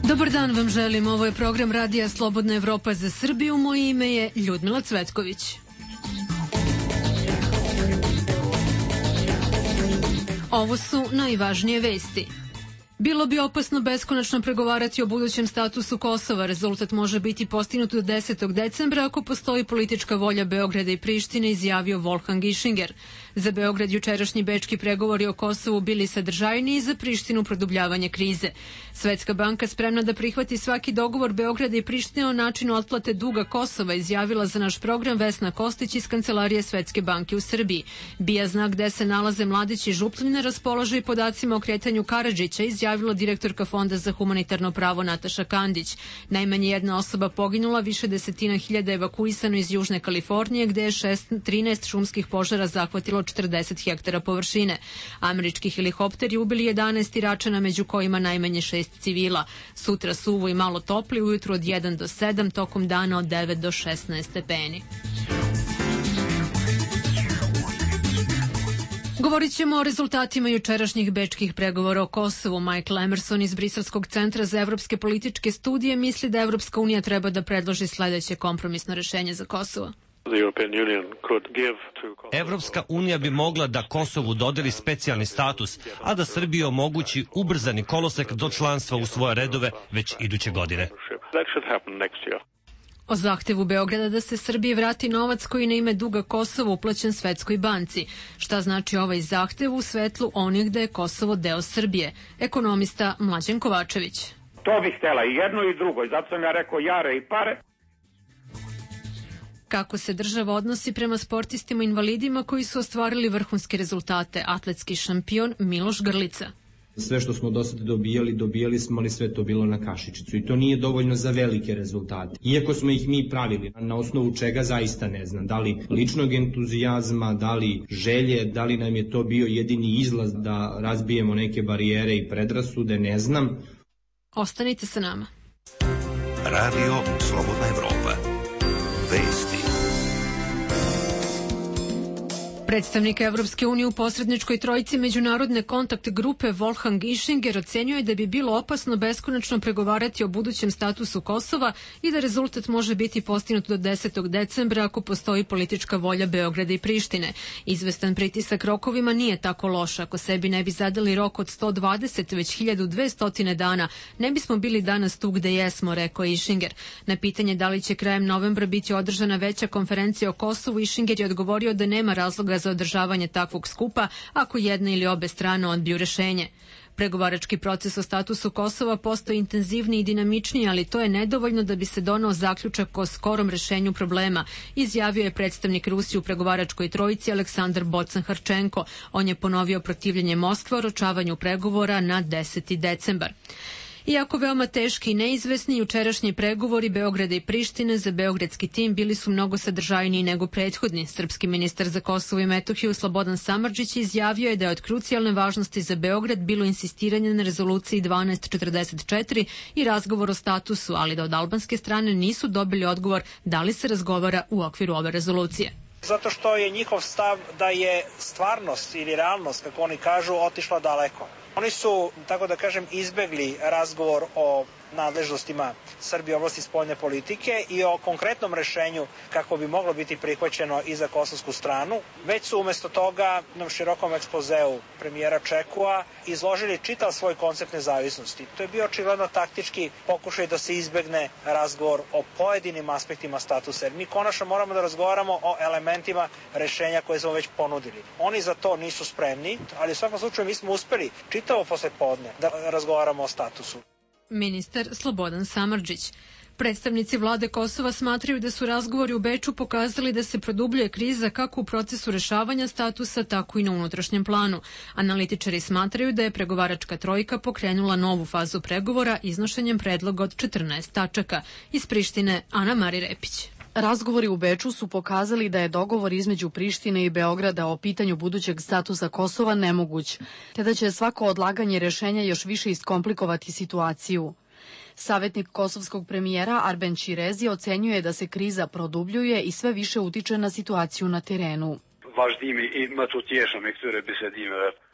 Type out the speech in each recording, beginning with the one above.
Dobar dan vam želim, ovo je program Radija Slobodna Evropa za Srbiju, moje ime je Ljudmila Cvetković. Ovo su najvažnije vesti. Bilo bi opasno beskonačno pregovarati o budućem statusu Kosova. Rezultat može biti postignut do 10. decembra ako postoji politička volja Beograda i Prištine, izjavio Wolfgang Ischinger. Za Beograd jučerašnji bečki pregovori o Kosovu bili sadržajniji i za Prištinu produbljavanje krize. Svetska banka spremna da prihvati svaki dogovor Beograda i Prištine o načinu otplate duga Kosova, izjavila za naš program Vesna Kostić iz Kancelarije Svetske banke u Srbiji. BIA zna gde se nalaze Mladić i Župljine, raspolaže i podacima o kretanju Karadžića, izjavila direktorka Fonda za humanitarno pravo Nataša Kandić. Najmanje jedna osoba poginula, više desetina hiljada evakuisano iz Južne Kalifornije, gde je 13 šumskih požara zahvatilo 40 hektara površine. Američki helikopteri ubili 11 Iračana, među kojima najmanje 6 civila. Sutra suvo i malo topli, ujutru od 1 do 7, tokom dana od 9 do 16 stepeni. Govorit ćemo o rezultatima jučerašnjih bečkih pregovora o Kosovu. Michael Emerson iz Briselskog centra za evropske političke studije misli da Evropska unija treba da predloži sledeće kompromisno rešenje za Kosovo. Evropska unija bi mogla da Kosovu dodeli specijalni status, a da Srbiji omogući ubrzani kolosek do članstva u svoje redove već iduće godine. O zahtevu Beograda da se Srbiji vrati novac koji na ime duga Kosova uplaćen Svetskoj banci. Šta znači ovaj zahtev u svetlu onih da je Kosovo deo Srbije? Ekonomista Mlađan Kovačević. To bih htela i jedno i drugo, i zato sam ja rekao jare i pare. Kako se država odnosi prema sportistima invalidima koji su ostvarili vrhunske rezultate? Atletski šampion Miloš Grlica. Sve što smo do sada dobijali smo, ali sve to bilo na kašičicu i to nije dovoljno za velike rezultate. Iako smo ih mi pravili, na osnovu čega zaista ne znam, da li ličnog entuzijazma, da li želje, da li nam je to bio jedini izlaz da razbijemo neke barijere i predrasude, ne znam. Ostanite sa nama. Radio Slobodna Evropa. Vesti. Predstavnik Evropske unije u posredničkoj trojici međunarodne kontakt grupe Wolfgang Ischinger ocenjuje da bi bilo opasno beskonačno pregovarati o budućem statusu Kosova i da rezultat može biti postignut do 10. decembra ako postoji politička volja Beograda i Prištine. Izvestan pritisak rokovima nije tako loš. Ako sebi ne bi zadali rok od 120, već 1200 dana, ne bismo bili danas tu gde jesmo, rekao Ischinger. Na pitanje da li će krajem novembra biti održana veća konferencija o Kosovu, Ischinger je odgovorio da nema razloga za održavanje takvog skupa ako jedna ili obe strane odbiju rešenje. Pregovarački proces o statusu Kosova postoji intenzivniji i dinamičniji, ali to je nedovoljno da bi se donao zaključak o skorom rešenju problema, izjavio je predstavnik Rusije u pregovaračkoj trojici Aleksandar Bocan-Harčenko. On je ponovio protivljenje Moskve o oročavanju pregovora na 10. decembar. Iako veoma teški i neizvesni, jučerašnji pregovori Beograda i Prištine za beogradski tim bili su mnogo sadržajniji nego prethodni. Srpski ministar za Kosovo i Metohiju Slobodan Samardžić izjavio je da je od krucijalne važnosti za Beograd bilo insistiranje na rezoluciji 1244 i razgovor o statusu, ali da od albanske strane nisu dobili odgovor da li se razgovara u okviru ove rezolucije. Zato što je njihov stav da je stvarnost ili realnost, kako oni kažu, otišla daleko. Oni su, tako da kažem, izbegli razgovor o nadležnostima Srbije u oblasti spoljne politike i o konkretnom rešenju kako bi moglo biti prihvaćeno i za kosovsku stranu. Već su umesto toga na širokom ekspozeu premijera Čekua izložili čitav svoj koncept nezavisnosti. To je bio očigledno taktički pokušaj da se izbegne razgovor o pojedinim aspektima statusa, jer mi konačno moramo da razgovaramo o elementima rešenja koje smo već ponudili. Oni za to nisu spremni, ali u svakom slučaju mi smo uspeli čitavo poslepodne da razgovaramo o statusu. Ministar Slobodan Samardžić. Predstavnici vlade Kosova smatraju da su razgovori u Beču pokazali da se produbljuje kriza kako u procesu rešavanja statusa, tako i na unutrašnjem planu. Analitičari smatraju da je pregovaračka trojka pokrenula novu fazu pregovora iznošenjem predloga od 14 tačaka. Iz Prištine, Ana Mari Repić. Razgovori u Beču su pokazali da je dogovor između Prištine i Beograda o pitanju budućeg statusa Kosova nemoguć, te da će svako odlaganje rešenja još više iskomplikovati situaciju. Savetnik kosovskog premijera Arben Ćirezi ocenjuje da se kriza produbljuje i sve više utiče na situaciju na terenu.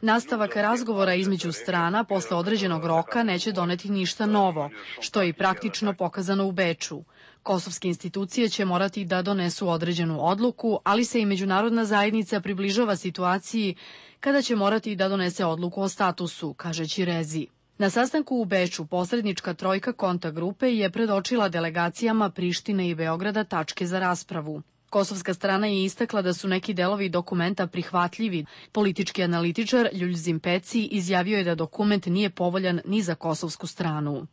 Nastavak razgovora između strana posle određenog roka neće doneti ništa novo, što je i praktično pokazano u Beču. Kosovske institucije će morati da donesu određenu odluku, ali se i međunarodna zajednica približava situaciji kada će morati da donese odluku o statusu, kaže Ćirezi. Na sastanku u Beču posrednička trojka kontakt grupe je predočila delegacijama Prištine i Beograda tačke za raspravu. Kosovska strana je istakla da su neki delovi dokumenta prihvatljivi. Politički analitičar Ljuljzim Peci izjavio je da dokument nije povoljan ni za kosovsku stranu.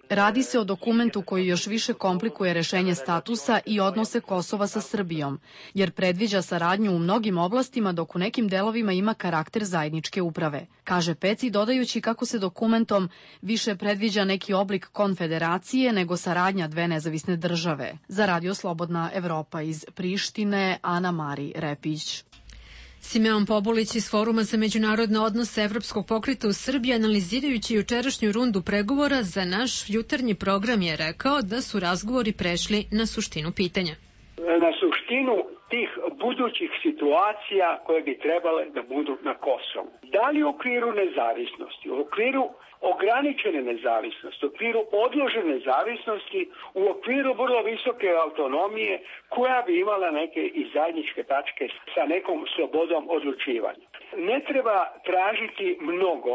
Radi se o dokumentu koji još više komplikuje rešenje statusa i odnose Kosova sa Srbijom, jer predviđa saradnju u mnogim oblastima dok u nekim delovima ima karakter zajedničke uprave, kaže Peci, dodajući kako se dokumentom više predviđa neki oblik konfederacije nego saradnja dve nezavisne države. Za Radio Slobodna Evropa iz Prištine, Ana Mari Repić. Simeon Pobulić iz Foruma za međunarodne odnose Evropskog pokreta u Srbiji, analizirajući jučerašnju rundu pregovora za naš jutarnji program, je rekao da su razgovori prešli na suštinu pitanja. Na suštinu tih budućih situacija koje bi trebale da budu na Kosovu. Da li u okviru nezavisnosti, u okviru ograničene nezavisnosti, u okviru odložene nezavisnosti, u okviru vrlo visoke autonomije koja bi imala neke i zajedničke tačke sa nekom slobodom odlučivanja. Ne treba tražiti mnogo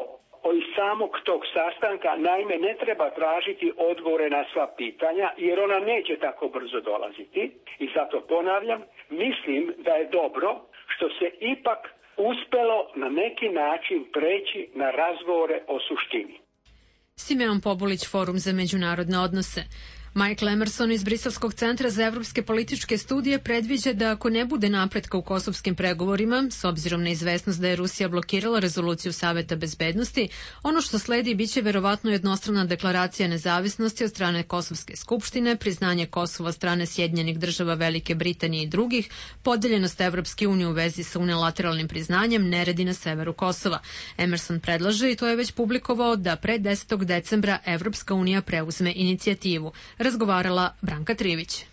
od samog tog sastanka, naime ne treba tražiti odgovore na sva pitanja jer ona neće tako brzo dolaziti i zato ponavljam, mislim da je dobro što se ipak uspelo na neki način preći na razgovore o suštini. Simeon Pobulić, Forum za međunarodne odnose. Michael Emerson iz Briselskog centra za evropske političke studije predviđa da ako ne bude napretka u kosovskim pregovorima, s obzirom na izvesnost da je Rusija blokirala rezoluciju Saveta bezbednosti, ono što sledi biće verovatno jednostrana deklaracija nezavisnosti od strane Kosovske skupštine, priznanje Kosova od strane Sjedinjenih država Velike Britanije i drugih, podeljenost Evropske unije u vezi sa unilateralnim priznanjem, neredi na severu Kosova. Emerson predlaže, i to je već publikovao, da pre 10. decembra Evropska unija preuzme inicijativu. Razgovarala Branka Trivić.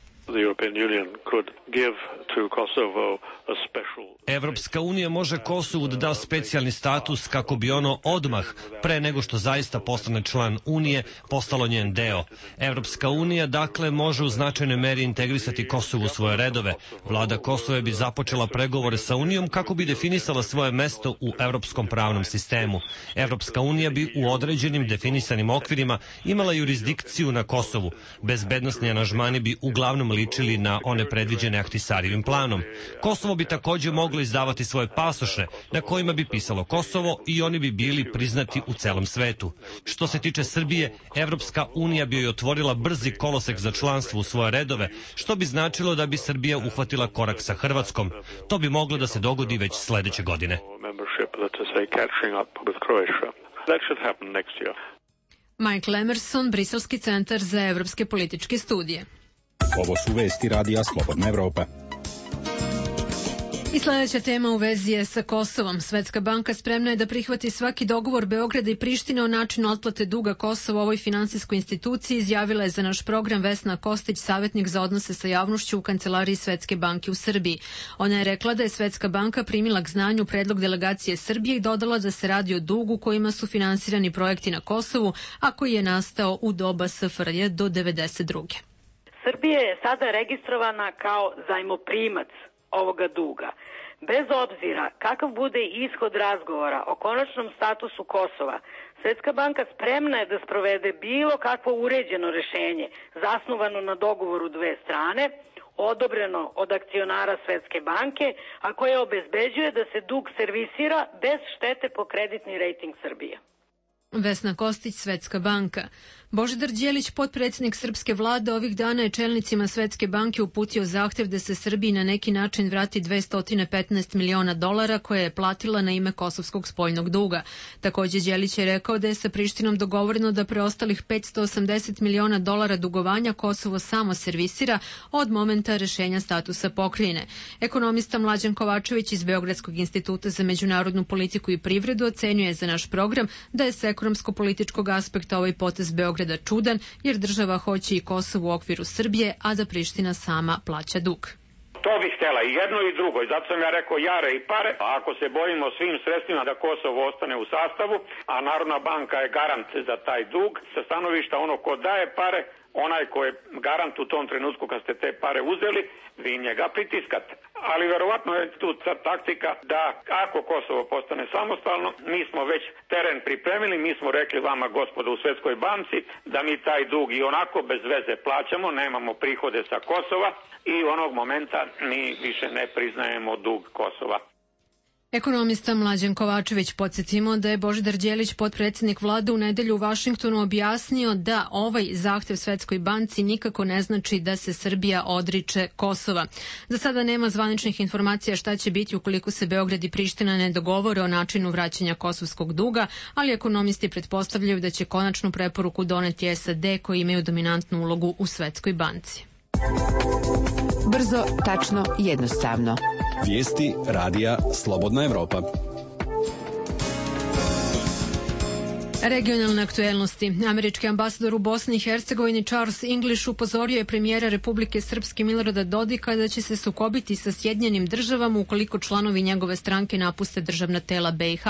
Evropska unija može Kosovu da da specijalni status kako bi ono odmah, pre nego što zaista postane član Unije, postalo njen deo. Evropska unija, dakle, može u značajnoj meri integrisati Kosovo u svoje redove. Vlada Kosova bi započela pregovore sa Unijom kako bi definisala svoje mesto u evropskom pravnom sistemu. Evropska unija bi u određenim definisanim okvirima imala jurisdikciju na Kosovu. Bezbednosni aranžmani bi uglavnom ličili na one predviđene Ahtisarijevim planom. Kosovo bi takođe moglo izdavati svoje pasoše na kojima bi pisalo Kosovo i oni bi bili priznati u celom svetu. Što se tiče Srbije, Evropska unija bi joj otvorila brzi kolosek za članstvo u svoje redove, što bi značilo da bi Srbija uhvatila korak sa Hrvatskom. To bi moglo da se dogodi već sledeće godine. Michael Emerson, Briselski centar za evropske političke studije. Ovo su vesti Radija Slobodna Evropa. I sledeća tema u vezi je sa Kosovom. Svetska banka spremna je da prihvati svaki dogovor Beograda i Prištine o načinu otplate duga Kosova u ovoj finansijskoj instituciji, izjavila je za naš program Vesna Kostić, savjetnik za odnose sa javnošću u Kancelariji Svetske banke u Srbiji. Ona je rekla da je Svetska banka primila k znanju predlog delegacije Srbije i dodala da se radi o dugu kojima su finansirani projekti na Kosovu, a koji je nastao u doba SFRJ do 1992. Srbija je sada registrovana kao zajmoprimac ovoga duga. Bez obzira kakav bude ishod razgovora o konačnom statusu Kosova, Svetska banka spremna je da sprovede bilo kakvo uređeno rešenje zasnovano na dogovoru dve strane, odobreno od akcionara Svetske banke, a koje obezbeđuje da se dug servisira bez štete po kreditni rejting Srbije. Vesna Kostić, Svetska banka. Božidar Đelić, potpredsjednik srpske vlade, ovih dana je čelnicima Svetske banke uputio zahtev da se Srbiji na neki način vrati $215 miliona koje je platila na ime kosovskog spoljnog duga. Takođe, Đelić je rekao da je sa Prištinom dogovoreno da preostalih $580 miliona dugovanja Kosovo samo servisira od momenta rešenja statusa pokrajine. Ekonomista Mlađan Kovačević iz Beogradskog instituta za međunarodnu politiku i privredu ocenjuje za naš program da je s ekonomsko-političkog aspekta ovaj potez Beograda čudan, jer država hoće i Kosovo u okviru Srbije, a da Priština sama plaća dug. To bih htjela i jedno i drugo, i zato sam ja rekao jare i pare, a ako se borimo svim sredstvima da Kosovo ostane u sastavu, a Narodna banka je garant za taj dug, sa stanovišta ono ko daje pare, onaj ko je garant u tom trenutku kad ste te pare uzeli, vi njega pritiskate. Ali verovatno je tu taktika da ako Kosovo postane samostalno, mi smo već teren pripremili, mi smo rekli vama gospodo u Svetskoj banci da mi taj dug i onako bez veze plaćamo, nemamo prihode sa Kosova i onog momenta mi više ne priznajemo dug Kosova. Ekonomista Mlađan Kovačević, podsjetimo da je Božidar Đelić, potpredsjednik vlade, u nedelju u Vašingtonu objasnio da ovaj zahtev Svetskoj banci nikako ne znači da se Srbija odriče Kosova. Za sada nema zvaničnih informacija šta će biti ukoliko se Beograd i Priština ne dogovore o načinu vraćanja kosovskog duga, ali ekonomisti pretpostavljaju da će konačnu preporuku doneti SAD koji imaju dominantnu ulogu u Svetskoj banci. Brzo, tačno, jednostavno. Vijesti radija Slobodna Evropa. Regionalne aktuelnosti. Američki ambasador u Bosni i Hercegovini Charles English upozorio je premijera Republike Srpske Milorada Dodika da će se sukobiti sa Sjedinjenim državama ukoliko članovi njegove stranke napuste državna tela BiH.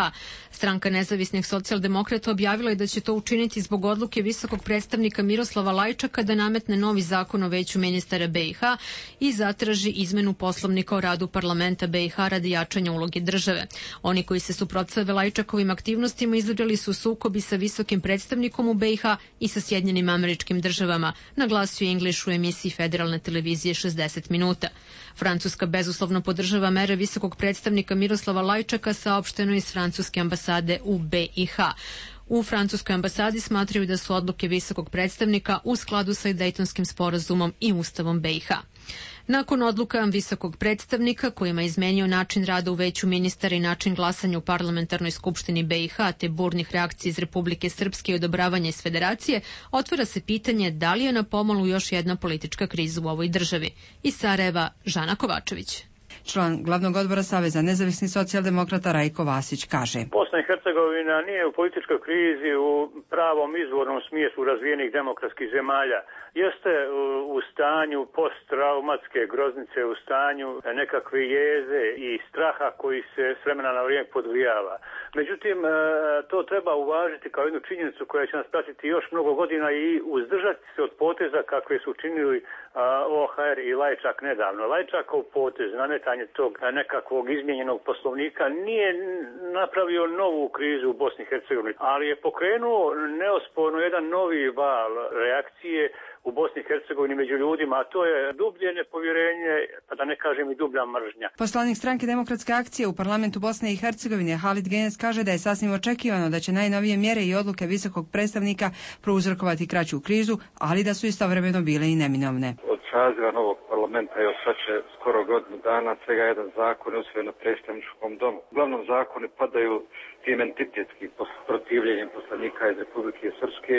Stranka nezavisnih socijaldemokrata objavila je da će to učiniti zbog odluke visokog predstavnika Miroslava Lajčaka da nametne novi zakon o veću ministara BiH i zatraži izmenu poslovnika o radu parlamenta BiH radi jačanja uloge države. Oni koji se suprotstave Lajčakovim aktivnostima izabrali su sukobi sa visokim predstavnikom u BiH i sa Sjedinjenim Američkim Državama, naglasio je English u emisiji federalne televizije 60 minuta. Francuska bezuslovno podržava mere visokog predstavnika Miroslava Lajčaka, saopšteno iz francuske ambasade u BiH. U francuskoj ambasadi smatraju da su odluke visokog predstavnika u skladu sa Dejtonskim sporazumom i Ustavom BiH. Nakon odluka visokog predstavnika kojima je izmenio način rada u veću ministara i način glasanja u parlamentarnoj skupštini BiH te burnih reakcija iz Republike Srpske i odobravanja iz Federacije, otvara se pitanje da li je na pomolu još jedna politička kriza u ovoj državi. Iz Sarajeva, Žana Kovačević. Član glavnog odbora Saveza nezavisnih socijaldemokrata Rajko Vasić kaže: Bosna i Hercegovina nije u političkoj krizi u pravom izvornom smislu razvijenih demokratskih zemalja. Jeste u stanju posttraumatske groznice, u stanju nekakve jeze i straha koji se s vremena na vrijeme podgrijava. Međutim, to treba uvažiti kao jednu činjenicu koja će nas pratiti još mnogo godina i uzdržati se od poteza kakve su činili OHR i Lajčak nedavno. Lajčakov potez, nametanje tog nekakvog izmijenjenog poslovnika nije napravio novu krizu u Bosni i Hercegovini, ali je pokrenuo neosporno jedan novi val reakcije u Bosni i Hercegovini među ljudima, a to je dublje nepovjerenje, pa da ne kažem i dublja mržnja. Poslanik stranke Demokratske akcije u parlamentu Bosne i Hercegovine Halid Genec kaže da je sasvim očekivano da će najnovije mjere i odluke visokog predstavnika prouzrokovati kraću krizu, ali da su istovremeno bile i neminovne. Od saziva novog parlamenta je sad će skoro godinu dana svega jedan zakon usvojen na predstavničkom domu. Uglavnom zakoni padaju tim entitetskim protivljenjem poslanika iz Republike Srpske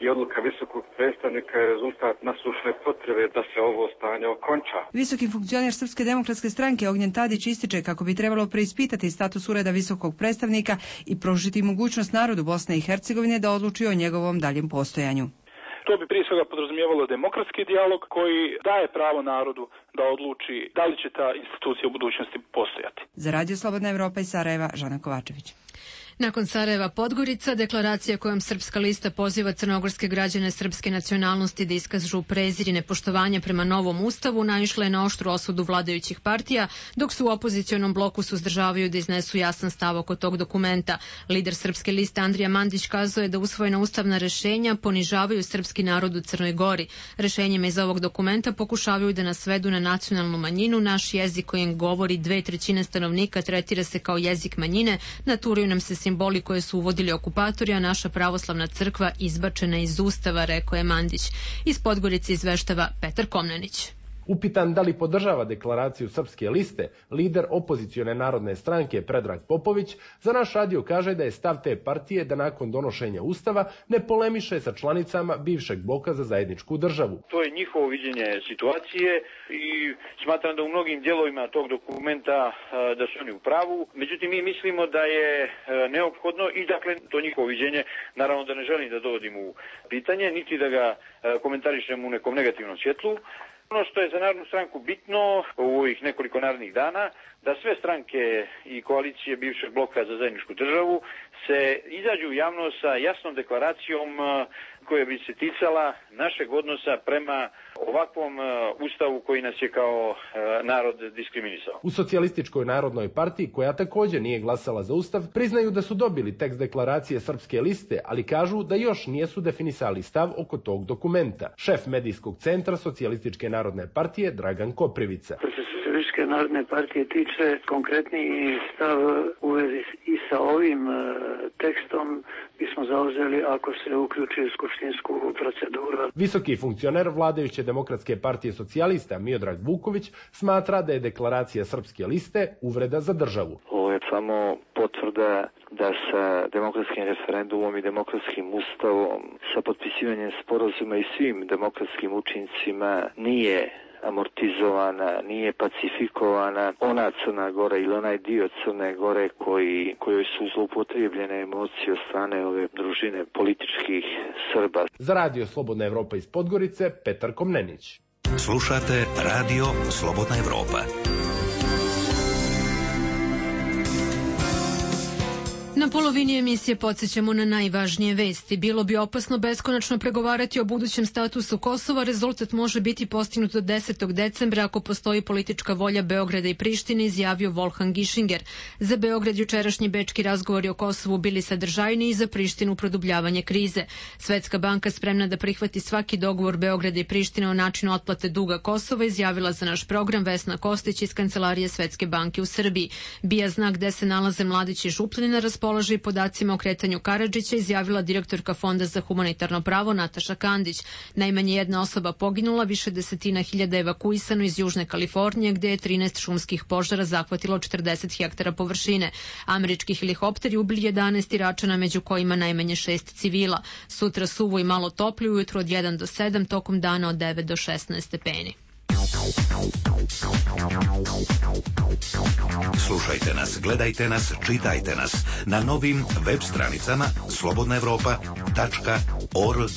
i odluka visokog predstavnika je rezultat nasušne potrebe da se ovo stanje okonča. Visoki funkcioner Srpske demokratske stranke Ognjen Tadić ističe kako bi trebalo preispitati status ureda visokog predstavnika i pružiti mogućnost narodu Bosne i Hercegovine da odluči o njegovom daljem postojanju. To bi prije svega podrazumijevalo demokratski dijalog koji daje pravo narodu da odluči da li će ta institucija u budućnosti postojati. Za Radio Slobodna Evropa iz Sarajeva, Žana Kovačević. Nakon Sarajeva Podgorica, deklaracija kojom Srpska lista poziva crnogorske građane srpske nacionalnosti da iskažu prezir i nepoštovanje prema novom ustavu naišla je na oštru osudu vladajućih partija, dok su u opozicionom bloku suzdržavaju da iznesu jasan stav oko tog dokumenta. Lider Srpske liste Andrija Mandić kazao je da usvojena ustavna rešenja ponižavaju srpski narod u Crnoj Gori. Rešenjima iz ovog dokumenta pokušavaju da nas svedu na nacionalnu manjinu, naš jezik kojim govori 2/3 stanovnika tretira se kao jezik manjine, naturaju nam se simboli koje su uvodili okupatori, a naša pravoslavna crkva izbačena iz Ustava, rekao je Mandić. Iz Podgorice izveštava Petar Komnenić. Upitan da li podržava deklaraciju Srpske liste, lider opozicione narodne stranke Predrag Popović za naš radio kaže da je stav te partije da nakon donošenja Ustava ne polemiše sa članicama bivšeg bloka za zajedničku državu. To je njihovo viđenje situacije i smatram da u mnogim dijelovima tog dokumenta da su oni u pravu. Međutim, mi mislimo da je neophodno i dakle to njihovo viđenje, naravno da ne želim da dovodim u pitanje, niti da ga komentarišem u nekom negativnom svjetlu. Ono što je za Narodnu stranku bitno u ovih nekoliko narednih dana, da sve stranke i koalicije bivšeg bloka za zajedničku državu se izađu u javnost sa jasnom deklaracijom koja bi se ticala našeg odnosa prema ovakvom ustavu koji nas je kao narod diskriminisao. U Socijalističkoj narodnoj partiji, koja također nije glasala za ustav, priznaju da su dobili tekst deklaracije Srpske liste, ali kažu da još nijesu definisali stav oko tog dokumenta. Šef medijskog centra Socijalističke narodne partije Dragan Koprivica. Socijalističke narodne partije tiče konkretniji stav u vezi i sa ovim tekstom bismo zauzeli ako se uključi u skupštinsku proceduru. Visoki funkcioner vladajuće Demokratske partije socijalista Miodrag Vuković smatra da je deklaracija Srpske liste uvreda za državu. Ovo je samo potvrda da sa demokratskim referendumom i demokratskim ustavom, sa potpisivanjem sporazuma i svim demokratskim učincima nije amortizovana, nije pacifikovana ona Crna Gora ili onaj dio Crne Gore kojoj su zloupotrijebljene emocije od strane ove družine političkih Srba. Za radio Slobodna Evropa iz Podgorice, Petar Komnenić. Slušate radio Slobodna Evropa. Na polovini emisije podsjećamo na najvažnije vesti. Bilo bi opasno beskonačno pregovarati o budućem statusu Kosova. Rezultat može biti postignut do 10. decembra ako postoji politička volja Beograda i Prištine, izjavio Wolfgang Ischinger. Za Beograd jučerašnji bečki razgovori o Kosovu bili sadržajni i za Prištinu produbljavanje krize. Svetska banka spremna da prihvati svaki dogovor Beograda i Prištine o načinu otplate duga Kosova, izjavila za naš program Vesna Kostić iz Kancelarije Svetske banke u Srbiji. Bija znak gde se nalaze Mladić i Župljani na raspolaži podacima o kretanju Karadžića, izjavila direktorka Fonda za humanitarno pravo Nataša Kandić. Najmanje jedna osoba poginula, više desetina hiljada evakuisano iz Južne Kalifornije, gde je 13 šumskih požara zahvatilo 40 hektara površine. Američki helikopteri ubili 11 Iračana, među kojima najmanje 6 civila. Sutra suvo i malo toplije, ujutro od 1 do 7, tokom dana od 9 do 16 stepeni. Slušajte nas, gledajte nas, čitajte nas na novim web stranicama slobodnaevropa.org.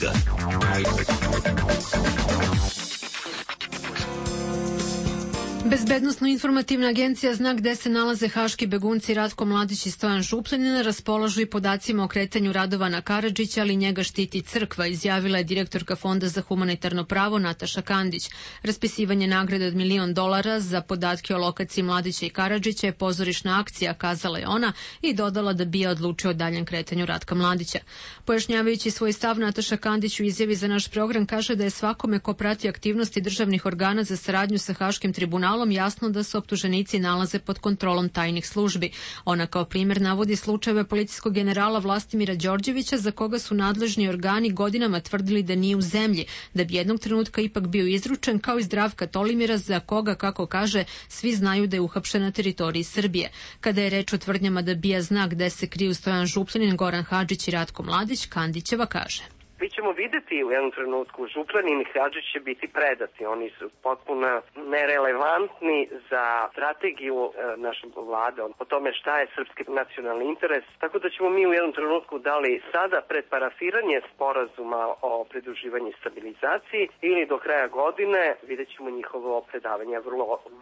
Bezbednosno-informativna agencija zna gde se nalaze haški begunci Ratko Mladić i Stojan Župljanin, raspolažu i podacima o kretanju Radovana Karadžića, ali njega štiti crkva, izjavila je direktorka Fonda za humanitarno pravo Nataša Kandić. Raspisivanje nagrade od $1 milion za podatke o lokaciji Mladića i Karadžića je pozorišna akcija, kazala je ona i dodala da BIA odlučio o daljem kretanju Ratka Mladića. Pojašnjavajući svoj stav, Nataša Kandić u izjavi za naš program kaže da je svakome ko prati aktivnosti državnih organa za saradnju sa Haškim tribunalom jasno da se optuženici nalaze pod kontrolom tajnih službi. Ona kao primjer navodi slučajeve policijskog generala Vlastimira Đorđevića, za koga su nadležni organi godinama tvrdili da nije u zemlji, da bi jednog trenutka ipak bio izručen, kao i Zdravka Tolimira, za koga, kako kaže, svi znaju da je uhapšen na teritoriji Srbije. Kada je reč o tvrdnjama da BIA zna gde se kriju Stojan Župljanin, Goran Hadžić i Ratko Mladić, Kandićeva kaže: Mi ćemo videti u jednom trenutku, Župljanin i Hadžić će biti predati. Oni su potpuno nerelevantni za strategiju naše vlade, o tome šta je srpski nacionalni interes. Tako da ćemo mi u jednom trenutku, da li sada pred parafiranje sporazuma o pridruživanju i stabilizaciji ili do kraja godine, vidjet ćemo njihovo predavanje.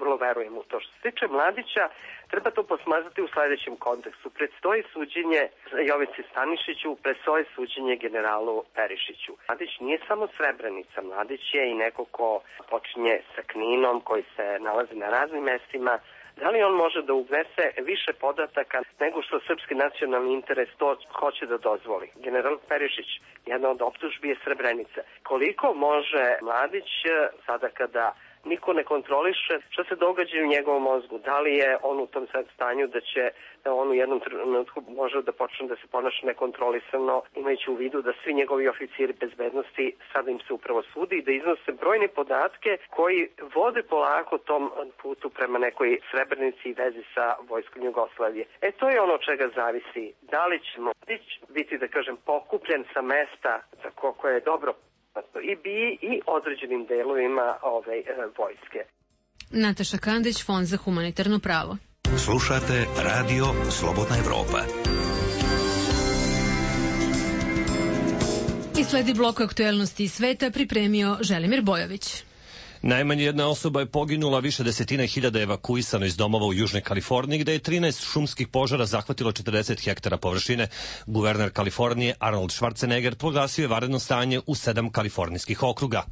Vrlo verujem u to. Što se tiče Mladića, treba to posmatrati u sledećem kontekstu. Predstoji suđenje Jovici Stanišiću, predstoji suđenje generalu Perišiću. Mladić nije samo Srebrenica, Mladić je i neko ko počinje sa Kninom, koji se nalazi na raznim mestima. Da li on može da ugnese više podataka nego što srpski nacionalni interes to hoće da dozvoli? General Perišić, jedna od optužbi je Srebrenica. Koliko može Mladić, sada kada niko ne kontroliše šta se događa u njegovom mozgu. Da li je on u tom sad stanju da će on u jednom trenutku može da počne da se ponaša nekontrolisano, imajući u vidu da svi njegovi oficiri bezbednosti sada im se upravo sudi i da iznose brojne podatke koji vode polako tom putu prema nekoj Srebrenici i vezi sa vojskom Jugoslavije. To je ono čega zavisi. Da li ćemo biti, da kažem, pokupljen sa mesta za koje je dobro i određenim delovima vojske. Nataša Kandić, Fond za humanitarno pravo. Slušate Radio Slobodna Evropa. I sledi blok aktuelnosti iz sveta pripremio Želimir Bojović. Najmanje jedna osoba je poginula, više desetina hiljada evakuisano iz domova u Južnoj Kaliforniji, gde je 13 šumskih požara zahvatilo 40 hektara površine. Guverner Kalifornije Arnold Schwarzenegger proglasio je vanredno stanje u 7 kalifornijskih okruga.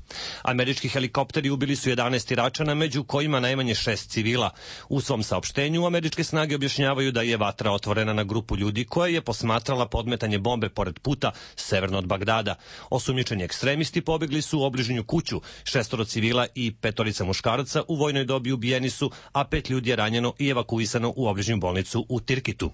Američki helikopteri ubili su 11 Iračana, među kojima najmanje 6 civila. U svom saopštenju američke snage objašnjavaju da je vatra otvorena na grupu ljudi koja je posmatrala podmetanje bombe pored puta severno od Bagdada. Osumnjičeni ekstremisti pobegli su u obližnju kuću, 6 civila i 5 muškaraca u vojnoj dobi ubijeni su, a 5 ljudi je ranjeno i evakuisano u obližnju bolnicu u Tirkitu.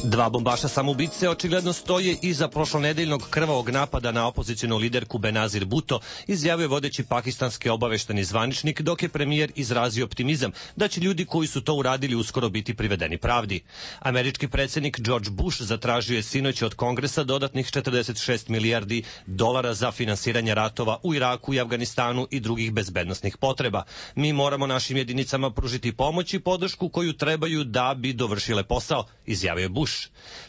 Dva bombaša samoubice očigledno stoje iza prošlonedeljnog krvavog napada na opozicijonu liderku Benazir Bhutto, izjavio je vodeći pakistanski obavešteni zvaničnik, dok je premijer izrazio optimizam da će ljudi koji su to uradili uskoro biti privedeni pravdi. Američki predsjednik George Bush zatražio je sinoć od Kongresa dodatnih 46 milijardi dolara za finansiranje ratova u Iraku i Afganistanu i drugih bezbednosnih potreba. Mi moramo našim jedinicama pružiti pomoć i podršku koju trebaju da bi dovršile posao, izjavio je Bush.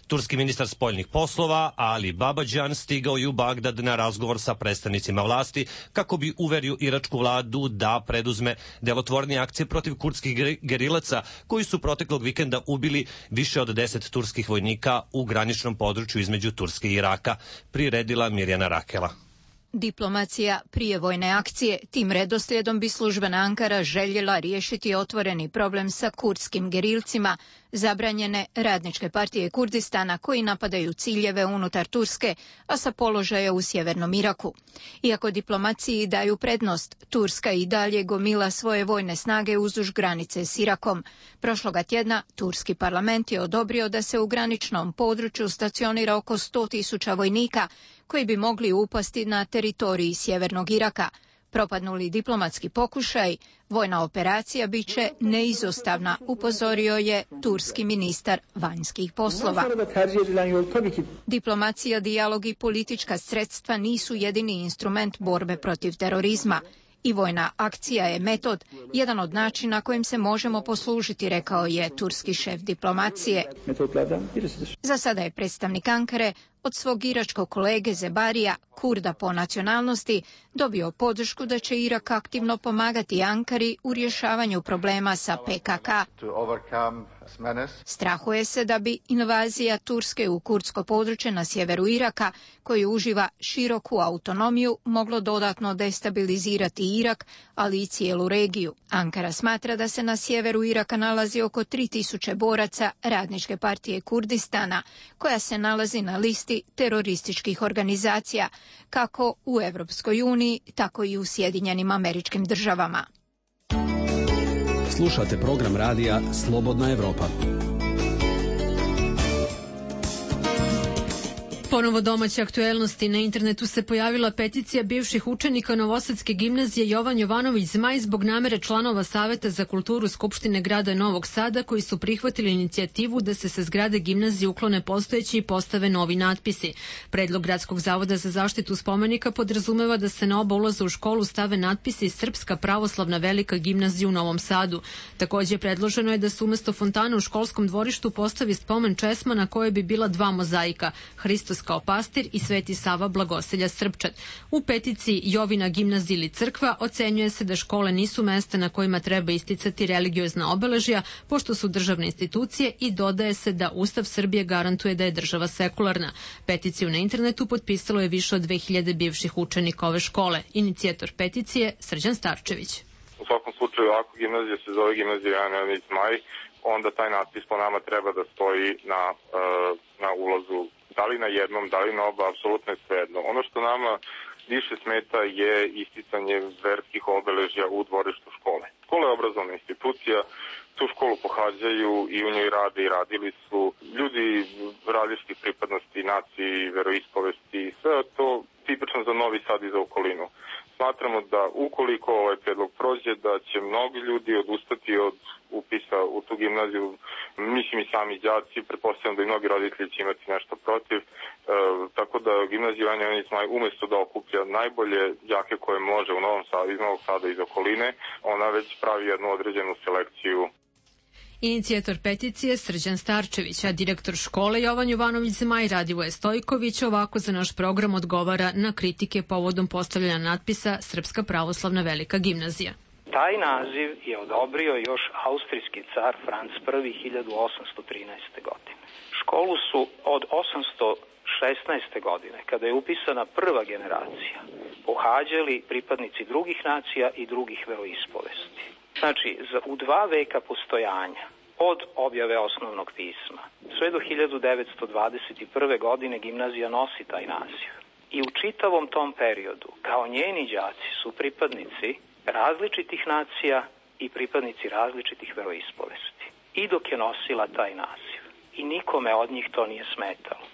Turski ministar spoljnih poslova Ali Babađan stigao je u Bagdad na razgovor sa predstavnicima vlasti kako bi uverio iračku vladu da preduzme delotvornije akcije protiv kurdskih gerilaca koji su proteklog vikenda ubili više od 10 turskih vojnika u graničnom području između Turske i Iraka, priredila Mirjana Rakela. Diplomacija prije vojne akcije, tim redoslijedom bi službena Ankara željela riješiti otvoreni problem sa kurdskim gerilcima, zabranjene radničke partije Kurdistana koji napadaju ciljeve unutar Turske, a sa položaja u sjevernom Iraku. Iako diplomaciji daju prednost, Turska i dalje gomila svoje vojne snage uzduž granice s Irakom. Prošloga tjedna Turski parlament je odobrio da se u graničnom području stacionira oko 100.000 vojnika koji bi mogli upasti na teritoriji sjevernog Iraka. Propadnuli diplomatski pokušaj, vojna operacija biće neizostavna, upozorio je turski ministar vanjskih poslova. Diplomacija, dijalog i politička sredstva nisu jedini instrument borbe protiv terorizma. I vojna akcija je metod, jedan od načina kojim se možemo poslužiti, rekao je turski šef diplomacije. Za sada je predstavnik Ankare od svog iračkog kolege Zebarija, Kurda po nacionalnosti, dobio podršku da će Irak aktivno pomagati Ankari u rješavanju problema sa PKK. Strahuje se da bi invazija Turske u kurdsko područje na sjeveru Iraka, koji uživa široku autonomiju, moglo dodatno destabilizirati Irak, ali i cijelu regiju. Ankara smatra da se na sjeveru Iraka nalazi oko 3.000 boraca radničke partije Kurdistana, koja se nalazi na listi terorističkih organizacija, kako u Evropskoj uniji, tako i u Sjedinjenim Američkim Državama. Slušate program radija Slobodna Evropa. Ponovo domaće aktuelnosti. Na internetu se pojavila peticija bivših učenika Novosadske gimnazije Jovan Jovanović Zmaj zbog namere članova Saveta za kulturu Skupštine grada Novog Sada koji su prihvatili inicijativu da se sa zgrade gimnazije uklone postojeći i postave novi natpisi. Predlog Gradskog zavoda za zaštitu spomenika podrazumeva da se na oba ulaza u školu stave natpisi Srpska pravoslavna velika gimnazija u Novom Sadu. Također predloženo je da se umesto fontana u školskom dvorištu postavi spomen česma na kojoj bi bila dva mozaika, Hristos kao pastir i Sveti Sava Blagoselja Srpčat. U peticiji Jovina gimnazija ili crkva ocenjuje se da škole nisu mesta na kojima treba isticati religiozna obeležja, pošto su državne institucije, i dodaje se da Ustav Srbije garantuje da je država sekularna. Peticiju na internetu potpisalo je više od 2000 bivših učenika ove škole. Inicijator peticije Srđan Starčević. U svakom slučaju, ako gimnazija se zove gimnazija Jovan Jovanović Zmaj, onda taj natpis po nama treba da stoji na ulazu da li na jednom, da li na oba, apsolutno je svejedno. Ono što nama više smeta je isticanje verskih obeležja u dvorištu škole. Škola je obrazovna institucija, tu školu pohađaju i u njoj rade i radili su ljudi različitih pripadnosti, naciji, veroispovesti, sve to tipično za Novi Sad i za okolinu. Smatramo da ukoliko ovaj predlog prođe, da će mnogi ljudi odustati od upisa u tu gimnaziju, mislim i sami đaci, pretpostavljam da i mnogi roditelji će imati nešto protiv, tako da gimnazija Ivana Ivanić Zmaj umesto da okuplja najbolje đake koje može u Novom Sadu, iz Novog Sada i iz okoline, ona već pravi jednu određenu selekciju. Inicijator peticije Srđan Starčević, a direktor škole Jovan Jovanović Zmaj Radivoje Stojković ovako za naš program odgovara na kritike povodom postavljanja natpisa Srpska pravoslavna velika gimnazija. Taj naziv je odobrio još austrijski car Franc I 1813. godine. Školu su od 816. godine, kada je upisana prva generacija, pohađali pripadnici drugih nacija i drugih veroispovesti. Znači, u 2 veka postojanja, od objave osnovnog pisma, sve do 1921. godine gimnazija nosi taj naziv. I u čitavom tom periodu, kao njeni đaci su pripadnici različitih nacija i pripadnici različitih veroispovesti. I dok je nosila taj naziv. I nikome od njih to nije smetalo.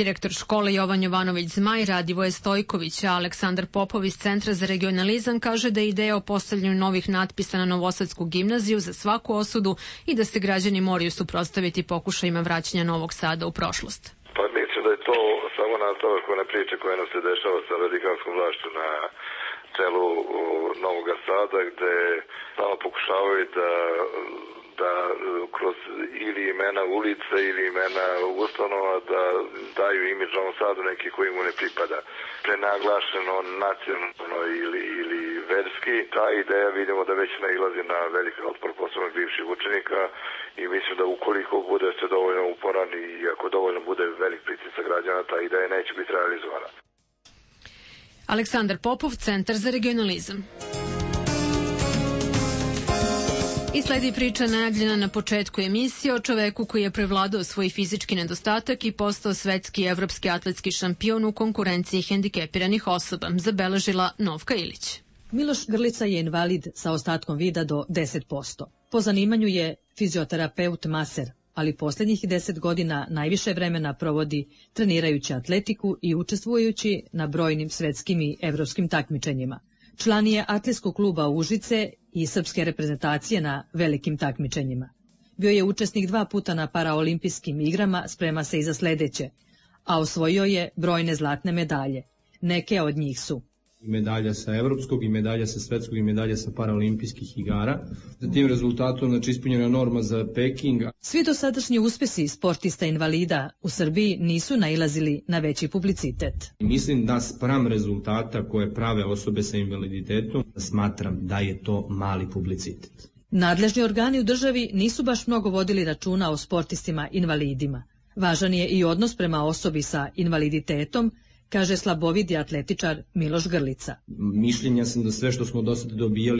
Direktor škole Jovan Jovanović Zmaj Radivoje Stojković, a Aleksandar Popov iz Centra za regionalizam kaže da je ideja o postavljanju novih natpisa na Novosadsku gimnaziju za svaku osudu i da se građani moraju suprotstaviti pokušajima vraćanja Novog Sada u prošlost. Pa mislim da je to samo nastavak one priče koje nam se dešava sa radikalskom vlašću na čelu Novog Sada, gde samo pokušavaju da kroz ili imena ulice ili imena ustanova da daju imidž Novom Sadu neki koji mu ne pripada. Prenaglašeno nacionalno ili verski, ta ideja vidimo da već nailazi na veliki otpor posebno bivših učenika i mislim da ukoliko bude se dovoljno uporan i ako dovoljno bude velik pritisak građana, ta ideja neće biti realizovana. Aleksandar Popov, Centar za regionalizam. I sledi priča najavljena na početku emisije o čoveku koji je prevladao svoj fizički nedostatak i postao svetski i evropski atletski šampion u konkurenciji hendikepiranih osoba, zabeležila Novka Ilić. Miloš Grlica je invalid sa ostatkom vida do 10%. Po zanimanju je fizioterapeut maser, ali posljednjih 10 godina najviše vremena provodi trenirajući atletiku i učestvujući na brojnim svetskim i evropskim takmičenjima. Član je atletskog kluba Užice i srpske reprezentacije na velikim takmičenjima. Bio je učesnik 2 puta na paraolimpijskim igrama, sprema se i za sledeće, a osvojio je brojne zlatne medalje. Neke od njih su i medalja sa evropskog, i medalja sa svetskog, i medalja sa paraolimpijskih igara. Za tim rezultatom, znači, ispunjena norma za Peking. Svi dosadašnji uspesi sportista invalida u Srbiji nisu nailazili na veći publicitet. Mislim da spram rezultata koje prave osobe sa invaliditetom, smatram da je to mali publicitet. Nadležni organi u državi nisu baš mnogo vodili računa o sportistima invalidima. Važan je i odnos prema osobi sa invaliditetom, kaže slabovidi atletičar Miloš Grlica. Mišljenja sam da sve što smo do sada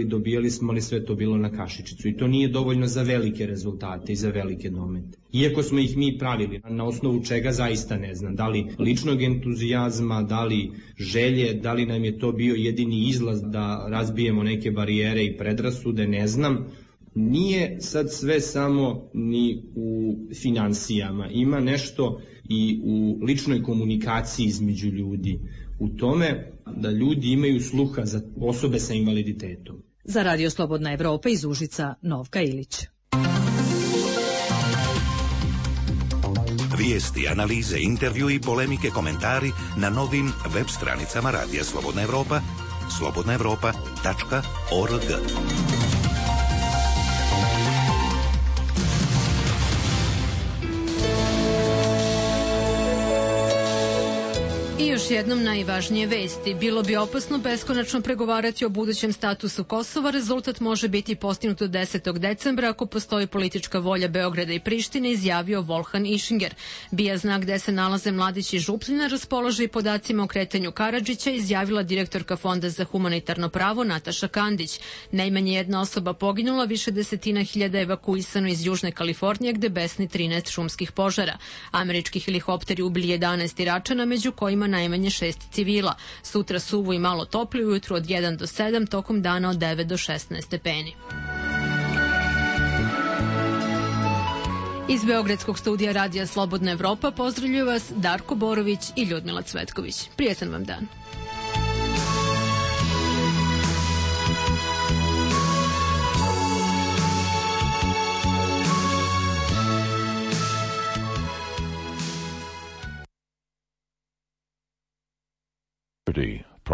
dobijali smo, ali sve to bilo na kašičicu. I to nije dovoljno za velike rezultate i za velike domete. Iako smo ih mi pravili, na osnovu čega zaista ne znam. Da li ličnog entuzijazma, da li želje, da li nam je to bio jedini izlaz da razbijemo neke barijere i predrasude, ne znam. Nije sad sve samo ni u finansijama. Ima nešto i u ličnoj komunikaciji između ljudi. U tome da ljudi imaju sluha za osobe sa invaliditetom. Za Radio Slobodna Evropa iz Užica, Novka Ilić. Vijesti, analize, intervju i polemike, komentari na novim web stranicama Radija Slobodna Evropa, slobodnaevropa.org. I još jednom najvažnije vesti. Bilo bi opasno beskonačno pregovarati o budućem statusu Kosova. Rezultat može biti postignut do 10. decembra ako postoji politička volja Beograda i Prištine, izjavio Volhan Ischinger. BIA zna gde se nalaze Mladić i Župljina, raspolaže i podacima o kretanju Karadžića, izjavila direktorka Fonda za humanitarno pravo Nataša Kandić. Najmanje jedna osoba poginula, više desetina hiljada evakuisano iz Južne Kalifornije, gde besni 13 šumskih požara. Američki helikopteri ubili 11 Iračana, među kojima najmanje 6 civila. Sutra suvo i malo topli, ujutru od 1 do 7, tokom dana od 9 do 16 stepeni. Iz Beogradskog studija Radija Slobodna Evropa pozdravljuju vas Darko Borović i Ljudmila Cvetković. Prijetan vam dan. Liberty.